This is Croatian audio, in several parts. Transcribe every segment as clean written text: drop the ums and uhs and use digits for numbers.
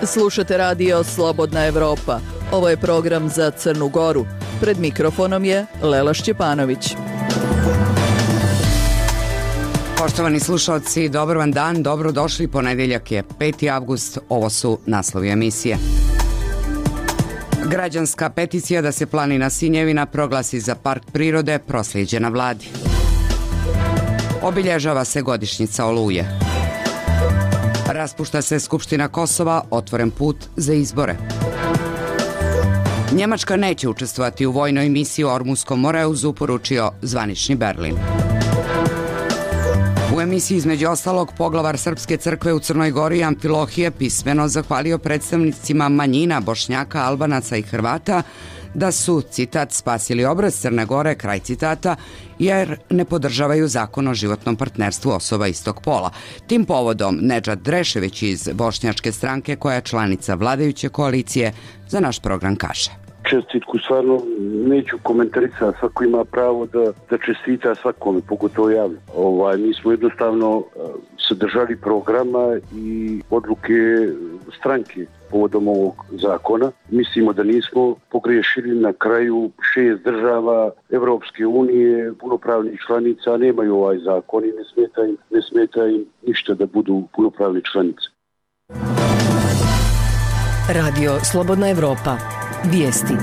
Slušate radio Slobodna Evropa. Ovo je program za Crnu Goru. Pred mikrofonom je Lela Šćepanović. Poštovani slušalci, dobar vam dan, dobrodošli. Ponedeljak je 5. avgust, ovo su naslovi emisije. Građanska peticija da se planina Sinjevina proglasi za park prirode proslijeđena vladi. Obilježava se godišnjica Oluje. Raspušta se Skupština Kosova, otvoren put za izbore. Njemačka neće učestvovati u vojnoj misiji u Ormuskom Moreuzu, poručio zvanični Berlin. U emisiji između ostalog poglavar Srpske crkve u Crnoj Gori Amfilohije pismeno zahvalio predstavnicima manjina Bošnjaka, Albanaca i Hrvata da su, citat, spasili obraz Crne Gore, kraj citata, jer ne podržavaju zakon o životnom partnerstvu osoba istog pola. Tim povodom Nedžad Drešević iz Bošnjačke stranke, koja je članica vladajuće koalicije, za naš program kaže: Čestitku stvarno neću komentarisati, svako ima pravo da čestita svakome, pogotovo javno. Mi smo jednostavno se držali programa i odluke stranke povodom ovog zakona. Mislimo da nismo pogriješili. Na kraju 6 država Evropske unije, punopravnih članica, nemaju ovaj zakon i ne smeta im ništa da budu punopravni članice. Radio Slobodna Evropa. Vijesti.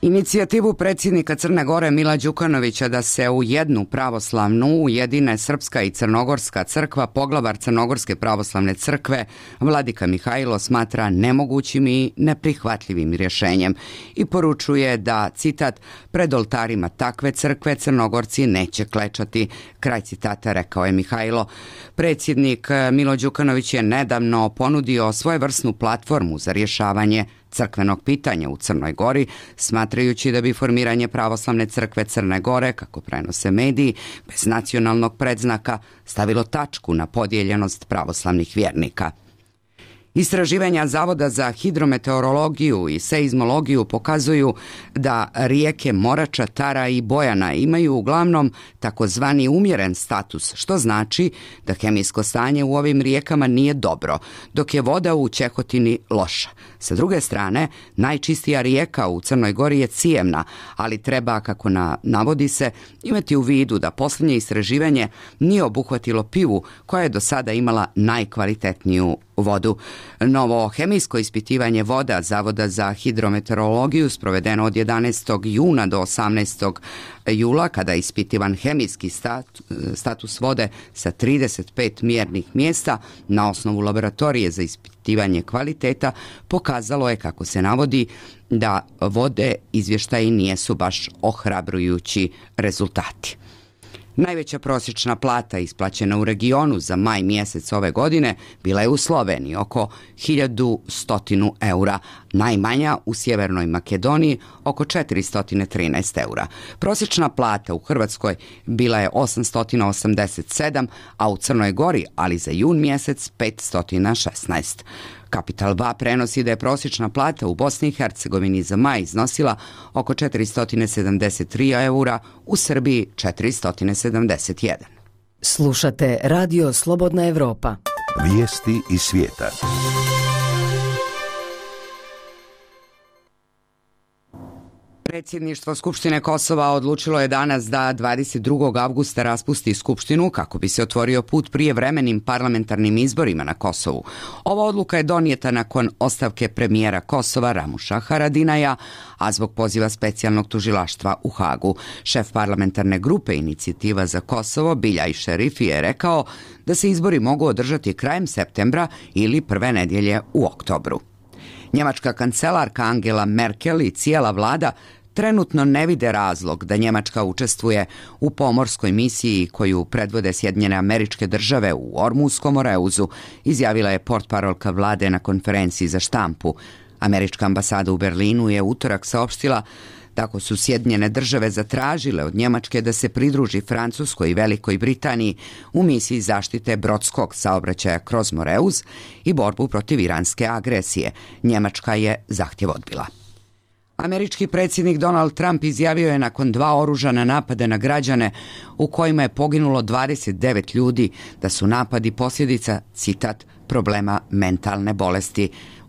Inicijativu predsjednika Crne Gore Mila Đukanovića da se u jednu pravoslavnu ujedine Srpska i Crnogorska crkva, poglavar Crnogorske pravoslavne crkve Vladika Mihajlo smatra nemogućim i neprihvatljivim rješenjem i poručuje da, citat, pred oltarima takve crkve Crnogorci neće klečati, kraj citata, rekao je Mihajlo. Predsjednik Milo Đukanović je nedavno ponudio svojevrsnu platformu za rješavanje crkvenog pitanja u Crnoj Gori, smatrajući da bi formiranje pravoslavne crkve Crne Gore, kako prenose mediji, bez nacionalnog predznaka stavilo tačku na podijeljenost pravoslavnih vjernika. Istraživanja Zavoda za hidrometeorologiju i seizmologiju pokazuju da rijeke Morača, Tara i Bojana imaju uglavnom takozvani umjeren status, što znači da kemijsko stanje u ovim rijekama nije dobro, dok je voda u Ćehotini loša. Sa druge strane, najčistija rijeka u Crnoj Gori je Cijevna, ali treba, kako navodi se, imati u vidu da posljednje istraživanje nije obuhvatilo Pivu, koja je do sada imala najkvalitetniju vodu. Novo hemijsko ispitivanje voda Zavoda za hidrometeorologiju sprovedeno od 11. juna do 18. jula, kada je ispitivan hemijski status vode sa 35 mjernih mjesta na osnovu laboratorije za ispitivanje kvaliteta, pokazalo je, kako se navodi, da vode izvještaji nisu baš ohrabrujući rezultati. Najveća prosječna plata isplaćena u regionu za maj mjesec ove godine bila je u Sloveniji, oko 1100 eura, najmanja u Sjevernoj Makedoniji oko 413 eura. Prosječna plata u Hrvatskoj bila je 887, a u Crnoj Gori, ali za jun mjesec, 516. Kapital 2 prenosi da je prosječna plata u Bosni i Hercegovini za maj iznosila oko 473 eura, u Srbiji 471. Slušate Radio Slobodna Evropa. Vijesti iz svijeta. Predsjedništvo Skupštine Kosova odlučilo je danas da 22. avgusta raspusti Skupštinu kako bi se otvorio put prijevremenim parlamentarnim izborima na Kosovu. Ova odluka je donijeta nakon ostavke premijera Kosova Ramuša Haradinaja, a zbog poziva specijalnog tužilaštva u Hagu. Šef parlamentarne grupe Inicijativa za Kosovo Biljaj Šerifi je rekao da se izbori mogu održati krajem septembra ili prve nedjelje u oktobru. Njemačka kancelarka Angela Merkel i cijela vlada trenutno ne vide razlog da Njemačka učestvuje u pomorskoj misiji koju predvode Sjedinjene Američke Države u Ormuskom Moreuzu, izjavila je portparolka vlade na konferenciji za štampu. Američka ambasada u Berlinu je utorak saopštila tako su Sjedinjene Države zatražile od Njemačke da se pridruži Francuskoj i Velikoj Britaniji u misiji zaštite brodskog saobraćaja kroz Moreuz i borbu protiv iranske agresije. Njemačka je zahtjev odbila. Američki predsjednik Donald Trump izjavio je nakon 2 oružana napada na građane u kojima je poginulo 29 ljudi da su napadi posljedica, citat, problema mentalne bolesti.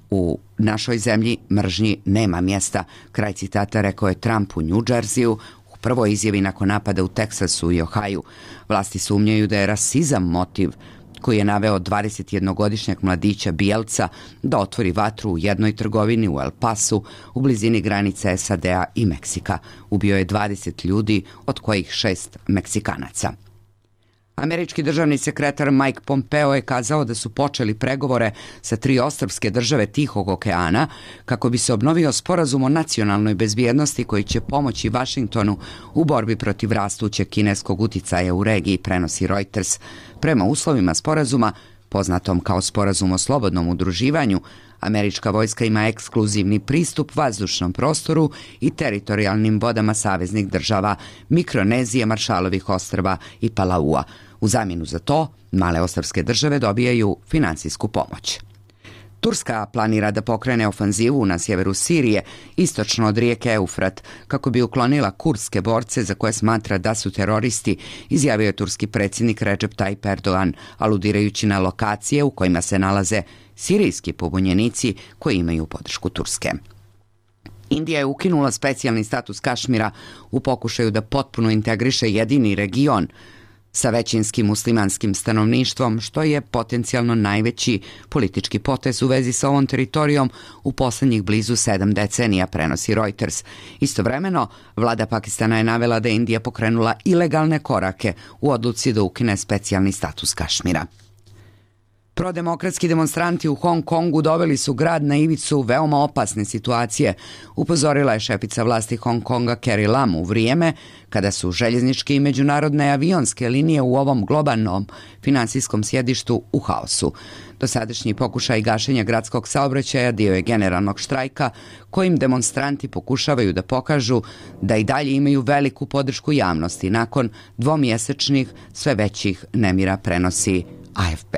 U našoj zemlji mržnji nema mjesta, kraj citata, rekao je Trump u New Jerseyu u prvoj izjavi nakon napada u Teksasu i Ohaju. Vlasti sumnjaju da je rasizam motiv koji je naveo 21-godišnjak mladića bijelca da otvori vatru u jednoj trgovini u El Pasu u blizini granice SAD-a i Meksika. Ubio je 20 ljudi, od kojih 6 Meksikanaca. Američki državni sekretar Mike Pompeo je kazao da su počeli pregovore sa 3 ostrvske države Tihog okeana kako bi se obnovio sporazum o nacionalnoj bezbjednosti koji će pomoći Vašingtonu u borbi protiv rastućeg kineskog uticaja u regiji, prenosi Reuters. Prema uslovima sporazuma, poznatom kao sporazum o slobodnom udruživanju, američka vojska ima ekskluzivni pristup vazdušnom prostoru i teritorijalnim vodama saveznih država Mikronezije, Maršalovih ostrva i Palaua. U zamjenu za to, male ostrvske države dobijaju financijsku pomoć. Turska planira da pokrene ofanzivu na sjeveru Sirije, istočno od rijeke Eufrat, kako bi uklonila kurdske borce za koje smatra da su teroristi, izjavio je turski predsjednik Recep Tayyip Erdogan, aludirajući na lokacije u kojima se nalaze sirijski pobunjenici koji imaju podršku Turske. Indija je ukinula specijalni status Kašmira u pokušaju da potpuno integriše jedini region sa većinskim muslimanskim stanovništvom, što je potencijalno najveći politički potez u vezi sa ovom teritorijom u posljednjih blizu 7 decenija, prenosi Reuters. Istovremeno, vlada Pakistana je navela da je Indija pokrenula ilegalne korake u odluci da ukine specijalni status Kašmira. Prodemokratski demonstranti u Hong Kongu doveli su grad na ivicu veoma opasne situacije, upozorila je šefica vlasti Hong Konga Carrie Lam u vrijeme kada su željezničke i međunarodne avionske linije u ovom globalnom finansijskom sjedištu u haosu. Dosadašnji pokušaj gašenja gradskog saobraćaja dio je generalnog štrajka kojim demonstranti pokušavaju da pokažu da i dalje imaju veliku podršku javnosti nakon dvomjesečnih sve većih nemira, prenosi AFP.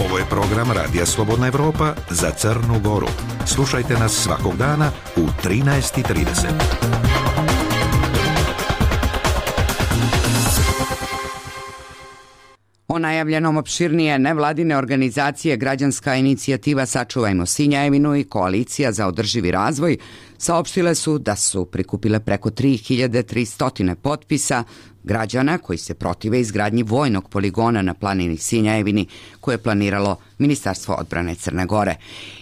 Ovo je program Radija Slobodna Evropa za Crnu Goru. Slušajte nas svakog dana u 13:30. O najavljenom opširnije nevladine organizacije Građanska inicijativa Sačuvajmo Sinjajevinu i Koalicija za održivi razvoj saopštile su da su prikupile preko 3300 potpisa građana koji se protive izgradnji vojnog poligona na planini Sinjajevini koje je planiralo Ministarstvo odbrane Crne Gore.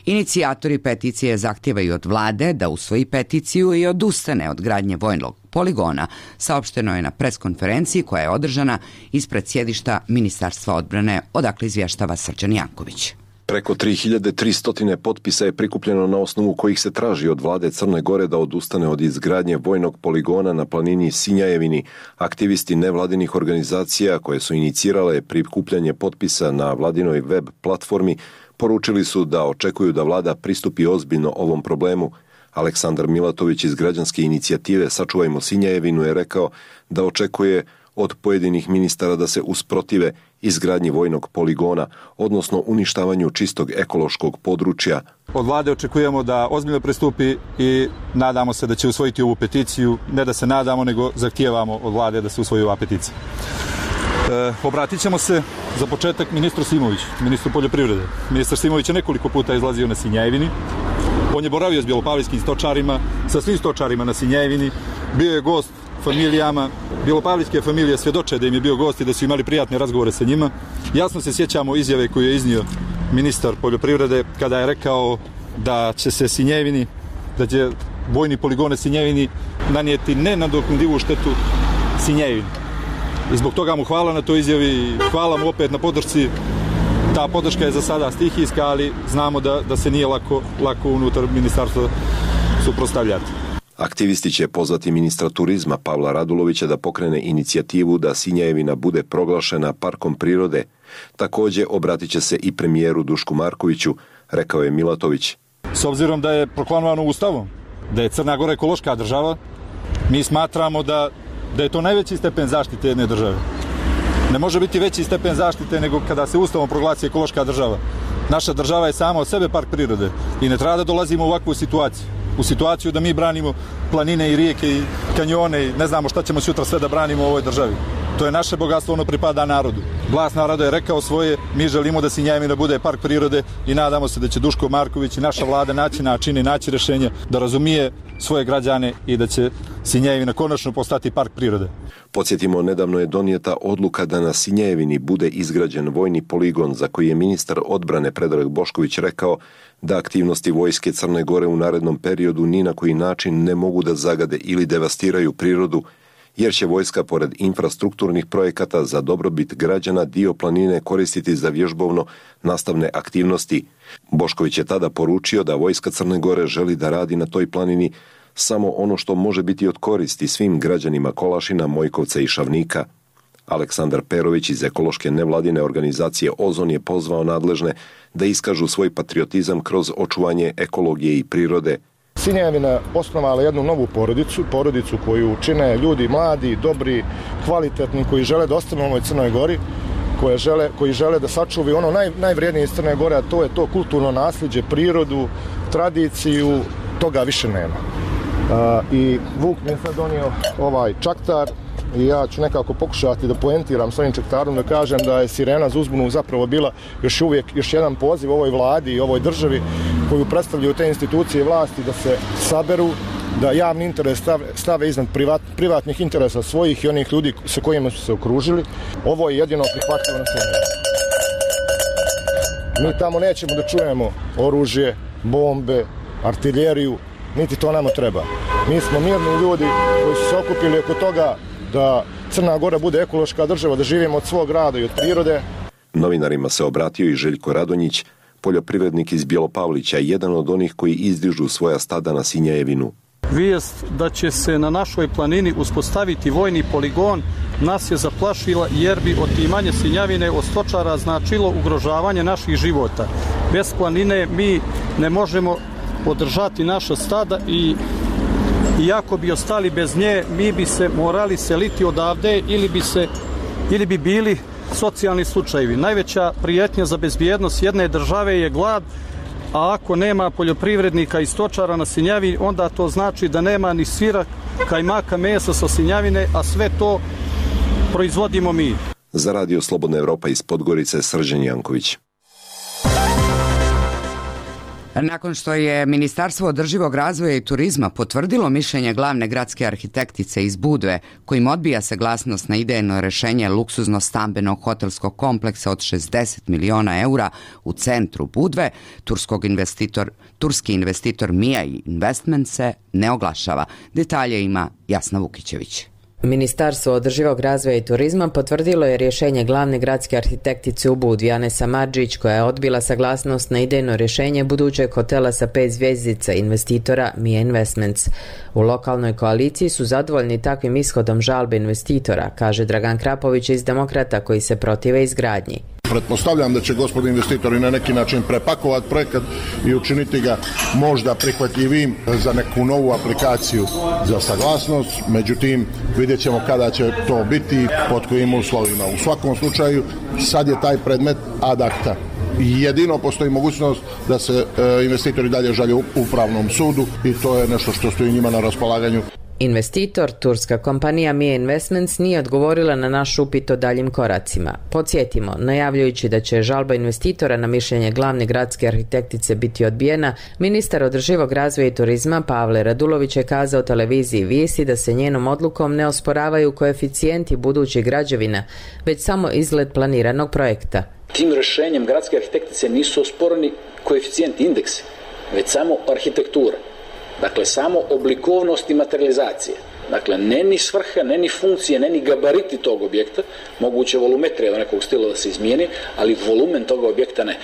Inicijatori peticije zahtijevaju od vlade da usvoji peticiju i odustane od gradnje vojnog poligona, saopšteno je na preskonferenciji koja je održana ispred sjedišta Ministarstva odbrane, odakle izvještava Srđan Janković. Preko 3300 potpisa je prikupljeno na osnovu kojih se traži od vlade Crne Gore da odustane od izgradnje vojnog poligona na planini Sinjajevini. Aktivisti nevladinih organizacija koje su inicirale prikupljanje potpisa na vladinoj web platformi poručili su da očekuju da vlada pristupi ozbiljno ovom problemu. Aleksandar Milatović iz Građanske inicijative Sačuvajmo Sinjajevinu je rekao da očekuje od pojedinih ministara da se usprotive izgradnji vojnog poligona, odnosno uništavanju čistog ekološkog područja. Od vlade očekujemo da ozbiljno pristupi i nadamo se da će usvojiti ovu peticiju. Ne da se nadamo, nego zahtijevamo od vlade da se usvoji ova peticija. Obratit ćemo se za početak ministru Simoviću, ministru poljoprivrede. Ministar Simović je nekoliko puta izlazio na Sinjajevini. On je boravio s bjelopavlijskim stočarima, sa svim stočarima na Sinjajevini. Bio je gost familijama. Bjelopavlijske familije svjedoče da im je bio gost i da su imali prijatne razgovore sa njima. Jasno se sjećamo izjave koju je iznio ministar poljoprivrede kada je rekao da će se Sinjajevini, da će vojni poligone Sinjajevini nanijeti nenadoknadivu štetu Sinjajevini. I zbog toga mu hvala na toj izjavi i hvala mu opet na podršci. Ta podrška je za sada stihijska, ali znamo da se nije lako unutar ministarstva suprotstavljati. Aktivisti će pozvati ministra turizma Pavla Radulovića da pokrene inicijativu da Sinjajevina bude proglašena parkom prirode. Također obratit će se i premijeru Dušku Markoviću, rekao je Milatović. S obzirom da je proklamovano Ustavom da je Crna Gora ekološka država, mi smatramo da je to najveći stepen zaštite jedne države. Ne može biti veći stepen zaštite nego kada se Ustavom proglasi ekološka država. Naša država je sama od sebe park prirode i ne treba da dolazimo u ovakvu situaciju. U situaciju da mi branimo planine i rijeke i kanjone i ne znamo šta ćemo sutra sve da branimo u ovoj državi. To je naše bogatstvo, ono pripada narodu. Glas naroda je rekao svoje, mi želimo da Sinjevina bude park prirode i nadamo se da će Duško Marković i naša vlada naći načine i naći rešenja da razumije svoje građane i da će Sinjevina konačno postati park prirode. Podsjetimo, nedavno je donijeta odluka da na Sinjevini bude izgrađen vojni poligon za koji je ministar odbrane Predrag Bošković rekao da aktivnosti vojske Crne Gore u narednom periodu ni na koji način ne mogu da zagade ili devastiraju prirodu, jer će vojska pored infrastrukturnih projekata za dobrobit građana dio planine koristiti za vježbovno nastavne aktivnosti. Bošković je tada poručio da vojska Crne Gore želi da radi na toj planini samo ono što može biti od koristi svim građanima Kolašina, Mojkovca i Šavnika. Aleksandar Perović iz ekološke nevladine organizacije Ozon je pozvao nadležne da iskažu svoj patriotizam kroz očuvanje ekologije i prirode. Sinjevina osnovala jednu novu porodicu koju čine ljudi mladi, dobri, kvalitetni, koji žele da ostanu u ovoj Crnoj Gori, koji žele da sačuvaju ono najvrijednije iz Crne Gore, a to je to kulturno nasljeđe, prirodu, tradiciju, toga više nema. I Vuk mi je sad donio ovaj čaktar i ja ću nekako pokušati da poentiram s ovim čaktarom, da kažem da je Sirena za uzbunu zapravo bila još jedan poziv ovoj vladi i ovoj državi koju predstavljaju te institucije vlasti da se saberu, da javni interes stave iznad privatnih interesa svojih i onih ljudi sa kojima su se okružili. Ovo je jedino prihvatljivo na Sinjevini. Mi tamo nećemo da čujemo oružje, bombe, artiljeriju, niti to nama treba. Mi smo mirni ljudi koji su se okupili oko toga da Crna Gora bude ekološka država, da živimo od svog rada i od prirode. Novinarima se obratio i Željko Radonjić, poljoprivrednik iz Bjelopavlića, jedan od onih koji izdižu svoja stada na Sinjevinu. Vijest da će se na našoj planini uspostaviti vojni poligon nas je zaplašila jer bi otimanje Sinjevine od stočara značilo ugrožavanje naših života. Bez planine mi ne možemo održati naša stada i iako bi ostali bez nje, mi bi se morali seliti odavde ili bi bili socijalni slučajevi. Najveća prijetnja za bezbjednost jedne države je glad, a ako nema poljoprivrednika i stočara na Sinjevini, onda to znači da nema ni sira, kajmaka, mesa sa Sinjevine, a sve to proizvodimo mi. Za Radio Slobodna Evropa iz Podgorice, Srđan Janković. Nakon što je Ministarstvo održivog razvoja i turizma potvrdilo mišljenje glavne gradske arhitektice iz Budve, kojim odbija saglasnost na idejno rešenje luksuzno stambenog hotelskog kompleksa od 60 miliona eura u centru Budve, turski investitor Mia Investment se ne oglašava. Detalje ima Jasna Vukićević. Ministarstvo održivog razvoja i turizma potvrdilo je rješenje glavne gradske arhitektice u Budvi Ane Samardžić, koja je odbila saglasnost na idejno rješenje budućeg hotela sa 5 zvjezdica investitora Mia Investments. U lokalnoj koaliciji su zadovoljni takvim ishodom žalbe investitora, kaže Dragan Krapović iz Demokrata, koji se protive izgradnji. Pretpostavljam da će gospodin investitori na neki način prepakovati projekat i učiniti ga možda prihvatljivim za neku novu aplikaciju za saglasnost. Međutim, vidjet ćemo kada će to biti, pod kojim uslovima. U svakom slučaju, sad je taj predmet ad acta. Jedino postoji mogućnost da se investitori dalje žalje u upravnom sudu i to je nešto što stoji njima na raspolaganju. Investitor, turska kompanija Mia Investments, nije odgovorila na naš upit o daljim koracima. Podsjetimo, najavljujući da će žalba investitora na mišljenje glavne gradske arhitektice biti odbijena, ministar održivog razvoja i turizma Pavle Radulović je kazao televiziji Vijesti da se njenom odlukom ne osporavaju koeficijenti budućih građevina, već samo izgled planiranog projekta. Tim rješenjem gradske arhitektice nisu osporeni koeficijenti indeksi, već samo arhitektura. Dakle, samo oblikovnost i materializacije. Dakle, ne ni svrha, ne ni funkcije, ne ni gabariti tog objekta, moguće volumetrija do nekog stila da se izmijeni, ali volumen toga objekta ne.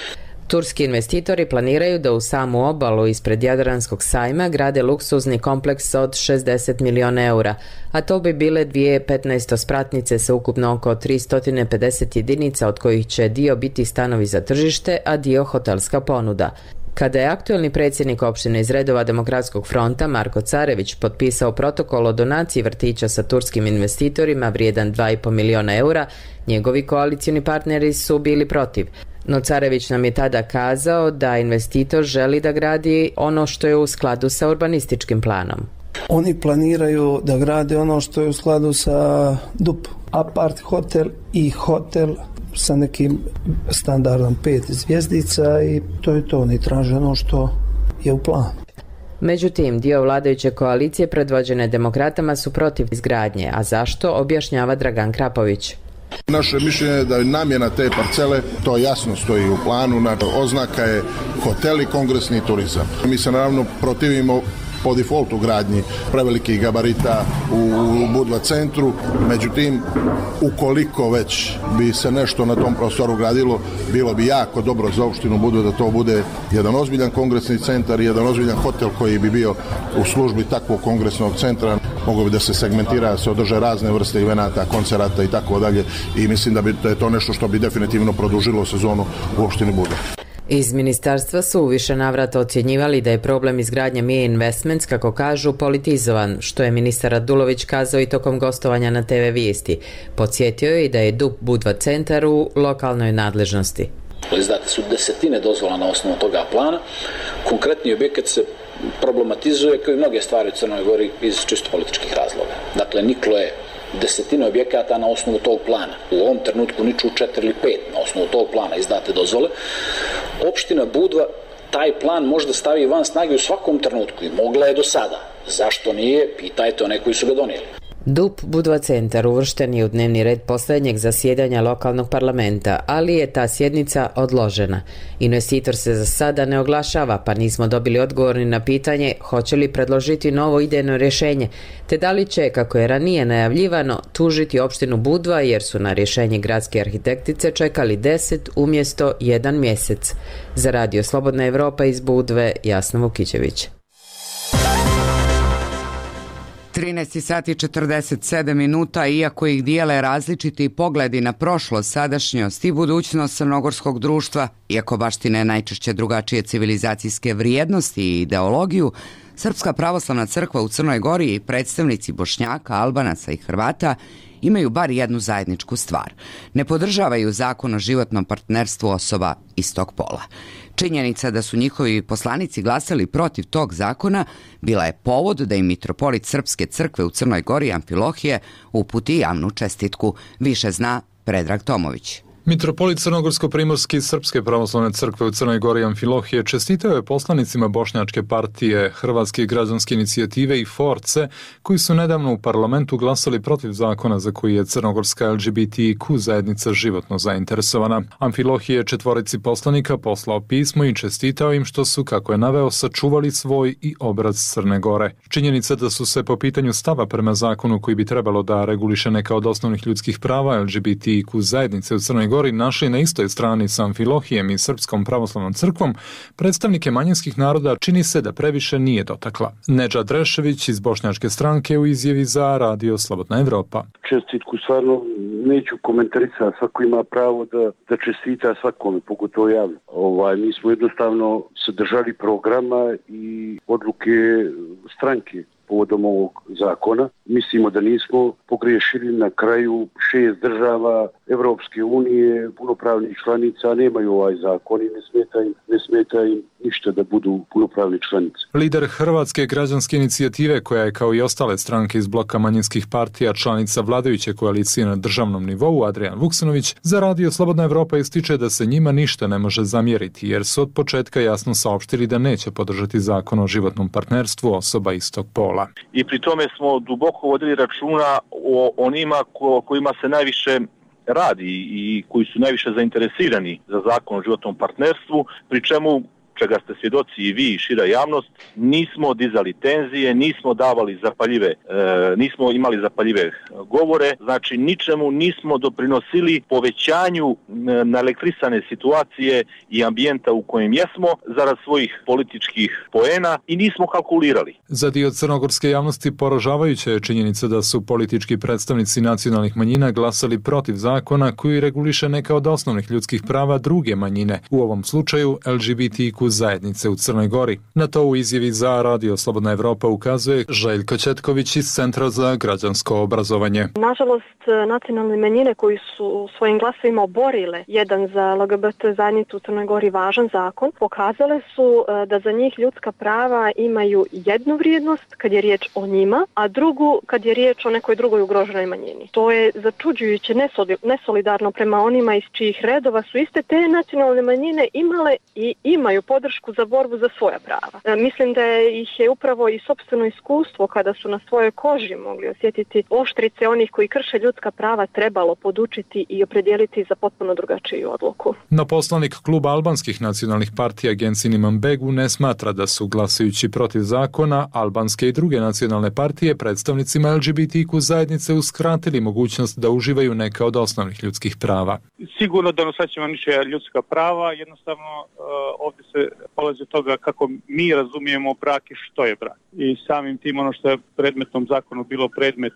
Turski investitori planiraju da u samu obalu ispred Jadranskog sajma grade luksuzni kompleks od 60 miliona eura, a to bi bile 2 spratnice sa ukupno oko 350 jedinica, od kojih će dio biti stanovi za tržište, a dio hotelska ponuda. Kada je aktuelni predsjednik opštine iz redova Demokratskog fronta Marko Carević potpisao protokol o donaciji vrtića sa turskim investitorima vrijedan 2,5 miliona eura, njegovi koalicioni partneri su bili protiv. No Carević nam je tada kazao da investitor želi da gradi ono što je u skladu sa urbanističkim planom. Oni planiraju da grade ono što je u skladu sa DUP, apart hotel i hotel sa nekim standardom 5 zvjezdica i to je to. Oni traže ono što je u planu. Međutim, dio vladajuće koalicije predvođene demokratama su protiv izgradnje, a zašto objašnjava Dragan Krapović. Naše mišljenje je da je namjena te parcele, to jasno stoji u planu, oznaka je hotel i kongresni turizam. Mi se naravno protivimo po defaultu gradnji prevelikih gabarita u Budva centru, međutim, ukoliko već bi se nešto na tom prostoru gradilo, bilo bi jako dobro za opštinu Budva da to bude jedan ozbiljan kongresni centar i jedan ozbiljan hotel koji bi bio u službi takvog kongresnog centra. Moglo bi da se segmentira, se održe razne vrste evenata, koncerata i tako dalje i mislim da je to nešto što bi definitivno produžilo sezonu u opštini Budva. Iz ministarstva su u više navrata ocjenjivali da je problem izgradnje Mie Investments, kako kažu, politizovan, što je ministar Radulović kazao i tokom gostovanja na TV Vijesti. Podsjetio je i da je DUP Budva centar u lokalnoj nadležnosti. Izdate su desetine dozvola na osnovu toga plana. Konkretni objekat se problematizuje kao i mnoge stvari u Crnoj Gori iz čisto političkih razloga. Dakle, niklo je desetine objekata na osnovu tog plana. U ovom trenutku niču 4 ili 5 na osnovu tog plana izdate dozvole. Opština Budva taj plan možda stavi van snage u svakom trenutku i mogla je do sada. Zašto nije? Pitajte one koji su ga donijeli. DUP Budva centar uvršten je u dnevni red posljednjeg zasjedanja lokalnog parlamenta, ali je ta sjednica odložena. Investitor se za sada ne oglašava, pa nismo dobili odgovor ni na pitanje hoće li predložiti novo idejno rješenje, te da li će, kako je ranije najavljivano, tužiti opštinu Budva jer su na rješenje gradske arhitektice čekali 10 umjesto 1 mjesec. Za Radio Slobodna Evropa iz Budve, Jasna Vukićević. 13 sati i 47 minuta, iako ih dijele različiti pogledi na prošlost, sadašnjost i budućnost crnogorskog društva, iako baštine najčešće drugačije civilizacijske vrijednosti i ideologiju, Srpska pravoslavna crkva u Crnoj Gori i predstavnici Bošnjaka, Albanaca i Hrvata imaju bar jednu zajedničku stvar. Ne podržavaju zakon o životnom partnerstvu osoba istog pola. Činjenica da su njihovi poslanici glasali protiv tog zakona bila je povod da im mitropolit Srpske crkve u Crnoj Gori Amfilohije uputi javnu čestitku. Više zna Predrag Tomović. Mitropolit Crnogorsko-primorski Srpske pravoslavne crkve u Crnoj Gori Amfilohije čestitao je poslanicima Bošnjačke partije, Hrvatske građanske inicijative i Force, koji su nedavno u parlamentu glasali protiv zakona za koji je crnogorska LGBTQ zajednica životno zainteresovana. Amfilohije je 4 poslanika poslao pismo i čestitao im što su, kako je naveo, sačuvali svoj i obraz Crne Gore. Činjenica da su se po pitanju stava prema zakonu koji bi trebalo da reguliše neka od osnovnih ljudskih prava LGBTQ zajednice u Crnoj Gori našli na istoj strani sa Amfilohijem i Srpskom pravoslavnom crkvom, predstavnike manjinskih naroda čini se da previše nije dotakla. Nedžad Rešević iz Bošnjačke stranke u izjavi za Radio Slobodna Evropa. Čestitku stvarno neću komentarisati, svako ima pravo da čestita svakome, pogotovo javno. Mi smo jednostavno se držali programa i odluke stranke povodom ovog zakona. Mislimo da nismo pogriješili. Na kraju 6 država Evropske unije, punopravnih članica, nemaju ovaj zakon i ne smeta im ništa da budu punopravni članice. Lider Hrvatske građanske inicijative, koja je kao i ostale stranke iz bloka manjinskih partija članica vladajuće koalicije na državnom nivou, Adrian Vuksanović, za Radio Slobodna Evropa ističe da se njima ništa ne može zamjeriti, jer su od početka jasno saopštili da neće podržati zakon o životnom partnerstvu osoba istog pola. I pri tome smo duboko vodili računa o onima kojima se najviše radi i koji su najviše zainteresirani za zakon o životnom partnerstvu, pri čemu, čega ste svjedoci i vi i šira javnost, nismo dizali tenzije, nismo imali zapaljive govore, znači ničemu nismo doprinosili povećanju naelektrisane situacije i ambijenta u kojem jesmo zarad svojih političkih poena i nismo kalkulirali. Za dio crnogorske javnosti poražavajuća je činjenica da su politički predstavnici nacionalnih manjina glasali protiv zakona koji reguliše neka od osnovnih ljudskih prava druge manjine, u ovom slučaju LGBTQ LGBTIQ zajednice u Crnoj Gori. Na to u izjavi za Radio Slobodna Evropa ukazuje Željko Četković iz Centra za građansko obrazovanje. Nažalost, nacionalne manjine koji su svojim glasovima oborile jedan za LGBT zajednicu u Crnoj Gori važan zakon, pokazale su da za njih ljudska prava imaju jednu vrijednost kad je riječ o njima, a drugu kad je riječ o nekoj drugoj ugroženoj manjini. To je začuđujuće nesolidarno prema onima iz čijih redova su iste te nacionalne manjine imale i imaju podršku za borbu za svoja prava. Mislim da ih je upravo i sopstveno iskustvo kada su na svojoj koži mogli osjetiti oštrice onih koji krše ljudska prava trebalo podučiti i opredijeliti za potpuno drugačiju odluku. No poslanik kluba albanskih nacionalnih partija Gençin Imanbegu ne smatra da su glasujući protiv zakona albanske i druge nacionalne partije predstavnicima LGBTIQ zajednice uskratili mogućnost da uživaju neka od osnovnih ljudskih prava. Sigurno da nosaćemo niče ljudska prava, jednostavno ovdje se polazi od toga kako mi razumijemo brak i što je brak. I samim tim ono što je predmetnom zakonu bilo predmet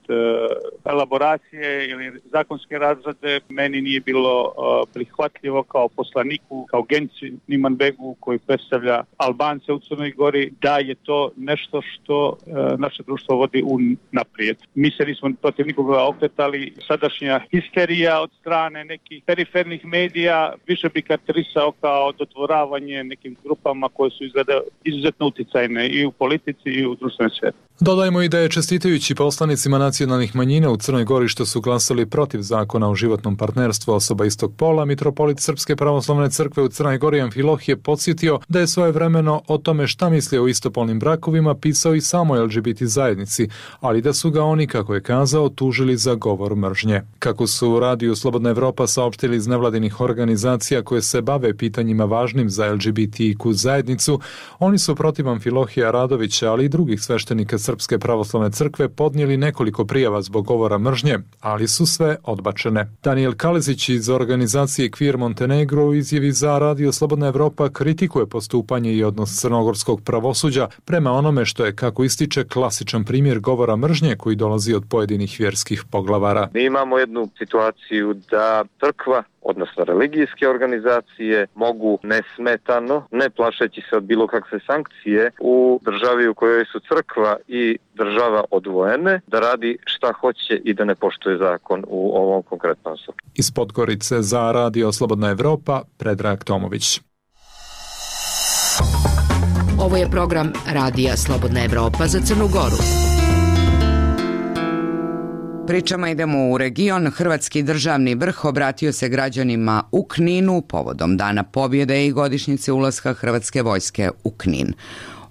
elaboracije ili zakonske razrade, meni nije bilo prihvatljivo kao poslaniku, kao Gençin Imanbegu koji predstavlja Albance u Crnoj Gori, da je to nešto što naše društvo vodi naprijed. Mi se nismo protiv nikoga okretali. Sadašnja histerija od strane nekih perifernih medija više bi karakterisao kao dodvoravanje nekim grupama koje su izuzetno uticajne i u politici i u društvenoj sferi. Dodajmo i da je čestitajući poslanicima nacionalnih manjina u Crnoj Gori što su glasali protiv zakona o životnom partnerstvu osoba istog pola, mitropolit Srpske pravoslavne crkve u Crnoj Gori Amfilohije podsjetio da je svojevremeno o tome šta misli o istopolnim brakovima pisao i samoj LGBT zajednici, ali da su ga oni, kako je kazao, tužili za govor mržnje. Kako su u Radiju Slobodna Evropa saopštili iz nevladinih organizacija koje se bave pitanjima važnim za LGBTIQ zajednicu, oni su protiv Amfilohija Radovića, ali i drugih sveštenika Srpske pravoslavne crkve podnijeli nekoliko prijava zbog govora mržnje, ali su sve odbačene. Daniel Kalezić iz organizacije Queer Montenegro u izjavi za Radio Slobodna Evropa kritikuje postupanje i odnos crnogorskog pravosuđa prema onome što je, kako ističe, klasičan primjer govora mržnje koji dolazi od pojedinih vjerskih poglavara. Mi imamo jednu situaciju da crkva, odnosno religijske organizacije, mogu nesmetano, ne plašeći se od bilo kakve sankcije, u državi u kojoj su crkva i država odvojene, da radi šta hoće i da ne poštuje zakon u ovom konkretnom slučaju. Iz Podgorice za Radio Slobodna Evropa, Predrag Tomović. Ovo je program Radija Slobodna Evropa za Crnu Goru. Pričama idemo u region. Hrvatski državni vrh obratio se građanima u Kninu povodom Dana pobjede i godišnjice ulaska Hrvatske vojske u Knin.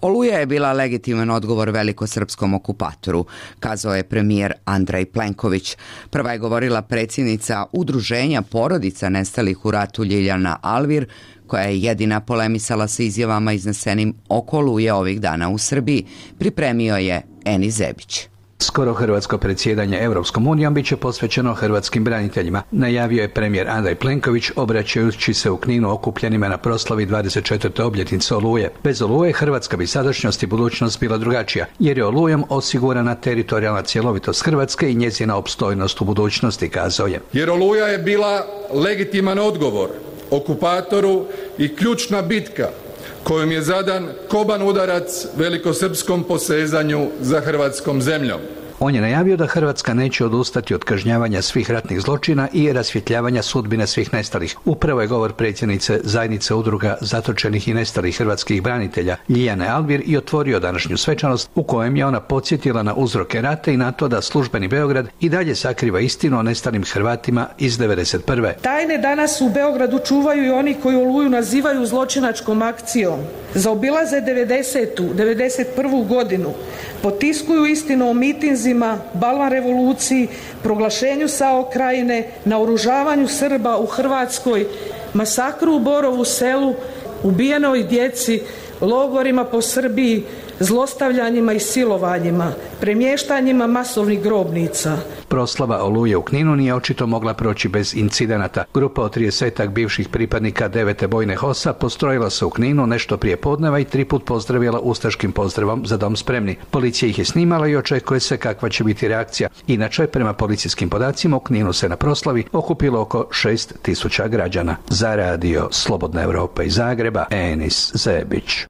Oluja je bila legitiman odgovor velikosrpskom okupatoru, kazao je premijer Andrej Plenković. Prva je govorila predsjednica Udruženja porodica nestalih u ratu Ljiljana Alvir, koja je jedina polemisala sa izjavama iznesenim oko Oluje ovih dana u Srbiji. Pripremio je Eni Zebić. Skoro hrvatsko predsjedanje Europskom unijom bit će posvećeno hrvatskim braniteljima, najavio je premijer Andrej Plenković obraćajući se u Kninu okupljenima na proslavi 24. obljetnice Oluje. Bez Oluje Hrvatska bi sadašnjost i budućnost bila drugačija, jer je Olujom osigurana teritorijalna cjelovitost Hrvatske i njezina opstojnost u budućnosti, kazao je. Jer Oluja je bila legitiman odgovor okupatoru i ključna bitka kojom je zadan koban udarac velikosrpskom posezanju za hrvatskom zemljom. On je najavio da Hrvatska neće odustati od kažnjavanja svih ratnih zločina i rasvjetljavanja sudbine svih nestalih. Upravo je govor predsjednice zajednice udruga zatočenih i nestalih hrvatskih branitelja Ljiljane Alvir i otvorio današnju svečanost u kojem je ona podsjetila na uzroke rata i na to da službeni Beograd i dalje sakriva istinu o nestalim Hrvatima iz 1991. Tajne danas u Beogradu čuvaju i oni koji Oluju nazivaju zločinačkom akcijom. Zaobilaze 91. godinu, potiskuju istinu o mitinzima, balvan revoluciji, proglašenju SAO Krajine, naoružavanju Srba u Hrvatskoj, masakru u Borovu Selu, ubijenoj djeci, logorima po Srbiji, zlostavljanjima i silovanjima, premještanjima masovnih grobnica. Proslava Oluje u Kninu nije očito mogla proći bez incidenata. Grupa od 30-ak bivših pripadnika 9. bojne HOS-a postrojila se u Kninu nešto prije podneva i 3 put pozdravila ustaškim pozdravom Za dom spremni. Policija ih je snimala i očekuje se kakva će biti reakcija. Inače, prema policijskim podacima, u Kninu se na proslavi okupilo oko 6.000 građana. Za radio Slobodna Evropa iz Zagreba, Enis Zebić.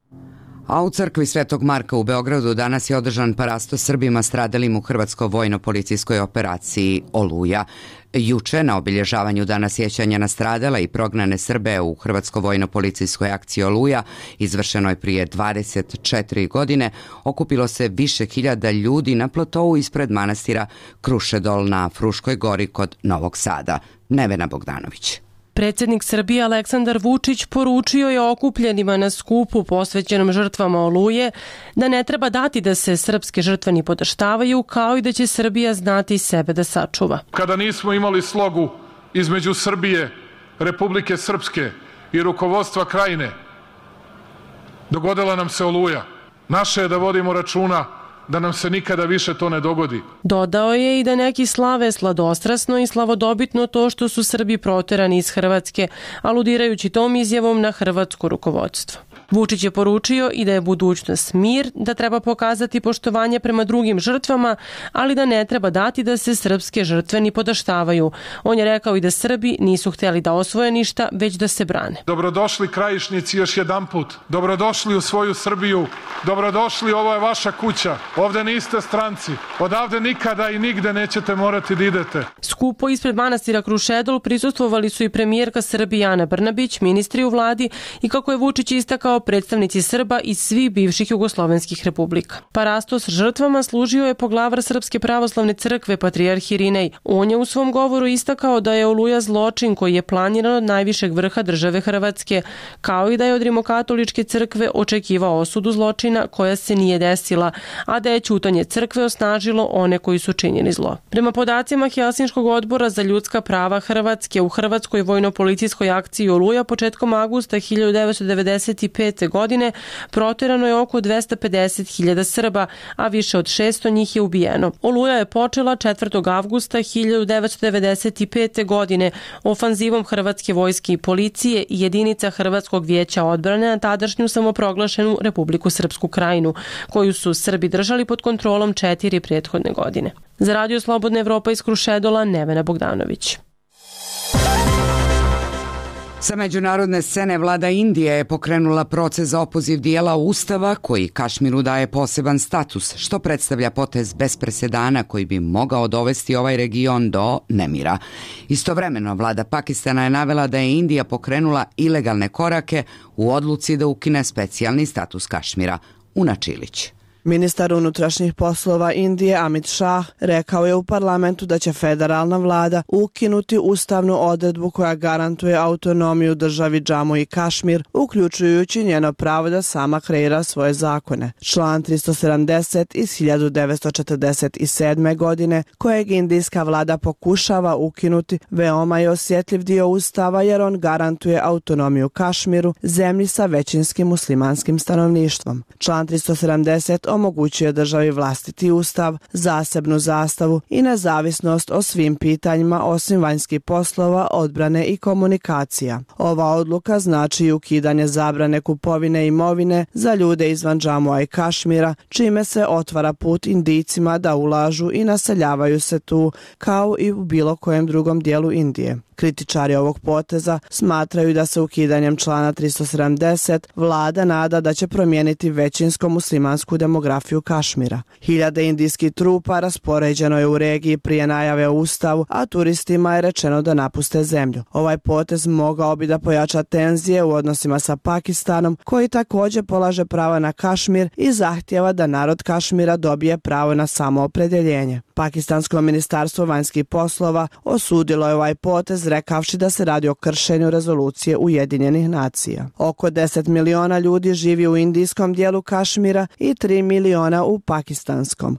A u crkvi Svetog Marka u Beogradu danas je održan parasto Srbima stradalim u hrvatsko-vojno-policijskoj operaciji Oluja. Juče, na obilježavanju dana sjećanja na stradale i prognane Srbe u hrvatsko-vojno-policijskoj akciji Oluja, izvršenoj prije 24 godine, okupilo se više hiljada ljudi na platou ispred manastira Krušedol na Fruškoj gori kod Novog Sada. Nevena Bogdanović. Predsjednik Srbije Aleksandar Vučić poručio je okupljenima na skupu posvećenom žrtvama Oluje da ne treba dati da se srpske žrtve ni podaštavaju, kao i da će Srbija znati sebe da sačuva. Kada nismo imali slogu između Srbije, Republike Srpske i rukovodstva Krajine, dogodila nam se Oluja. Naše je da vodimo računa da nam se nikada više to ne dogodi. Dodao je i da neki slave sladostrasno i slavodobitno to što su Srbi proterani iz Hrvatske, aludirajući tom izjavom na hrvatsko rukovodstvo. Vučić je poručio i da je budućnost mir, da treba pokazati poštovanje prema drugim žrtvama, ali da ne treba dati da se srpske žrtve ni podaštavaju. On je rekao i da Srbi nisu htjeli da osvoje ništa, već da se brane. Dobrodošli Krajišnici još jedanput. Dobrodošli u svoju Srbiju. Dobrodošli, ovo je vaša kuća. Ovde niste stranci. Odavde nikada i nigde nećete morati da idete. Skupo ispred manastira Krušedol prisustvovali su i premijerka Srbije Ana Brnabić, ministri u vladi i, kako je Vučić istakao, predstavnici Srba iz svih bivših jugoslovenskih republika. Parasto s žrtvama služio je poglavar Srpske pravoslavne crkve patrijarh Irinej. On je u svom govoru istakao da je Oluja zločin koji je planiran od najvišeg vrha države Hrvatske, kao i da je od Rimokatoličke crkve očekivao osudu zločina koja se nije desila, a da je ćutanje crkve osnažilo one koji su činjeni zlo. Prema podacima Helsinškog odbora za ljudska prava Hrvatske, u hrvatskoj vojno-policijskoj akciji Oluja početkom avgusta 1995. godine proterano je oko 250.000 Srba, a više od 600 njih je ubijeno. Oluja je počela 4. avgusta 1995. godine ofanzivom hrvatske vojske i policije i jedinica Hrvatskog vijeća odbrane na tadašnju samoproglašenu Republiku Srpsku Krajinu, koju su Srbi držali pod kontrolom 4 prethodne godine. Za radio Slobodna Evropa iz Krušedola, Nevena Bogdanović. Sa međunarodne scene vlada Indije je pokrenula proces za opoziv dijela Ustava koji Kašmiru daje poseban status, što predstavlja potez bez presedana koji bi mogao dovesti ovaj region do nemira. Istovremeno, vlada Pakistana je navela da je Indija pokrenula ilegalne korake u odluci da ukine specijalni status Kašmira. Una Čilić. Ministar unutrašnjih poslova Indije Amit Shah rekao je u parlamentu da će federalna vlada ukinuti ustavnu odredbu koja garantuje autonomiju državi Džamu i Kašmir, uključujući njeno pravo da sama kreira svoje zakone. Član 370 iz 1947. godine, kojeg indijska vlada pokušava ukinuti, veoma je osjetljiv dio ustava jer on garantuje autonomiju Kašmiru, zemlji sa većinskim muslimanskim stanovništvom. Član 370 omogućuje državi vlastiti ustav, zasebnu zastavu i nezavisnost o svim pitanjima osim vanjskih poslova, odbrane i komunikacija. Ova odluka znači ukidanje zabrane kupovine imovine za ljude izvan Džamua i Kašmira, čime se otvara put Indijcima da ulažu i naseljavaju se tu, kao i u bilo kojem drugom dijelu Indije. Kritičari ovog poteza smatraju da se ukidanjem člana 370 vlada nada da će promijeniti većinsko muslimansku demografiju Kašmira. Hiljade indijskih trupa raspoređeno je u regiji prije najave o ustavu, a turistima je rečeno da napuste zemlju. Ovaj potez mogao bi da pojača tenzije u odnosima sa Pakistanom, koji također polaže prava na Kašmir i zahtjeva da narod Kašmira dobije pravo na samoopredjeljenje. Pakistansko ministarstvo vanjskih poslova osudilo je ovaj potez rekavši da se radi o kršenju rezolucije Ujedinjenih nacija. Oko 10 miliona ljudi živi u indijskom dijelu Kašmira i 3 miliona u pakistanskom.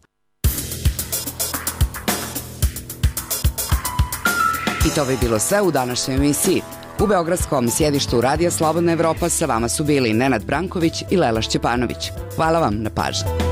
I to bi bilo sve u današnjoj emisiji. U beogradskom sjedištu Radija Slobodna Evropa sa vama su bili Nenad Branković i Lela Šćepanović. Hvala vam na pažnji.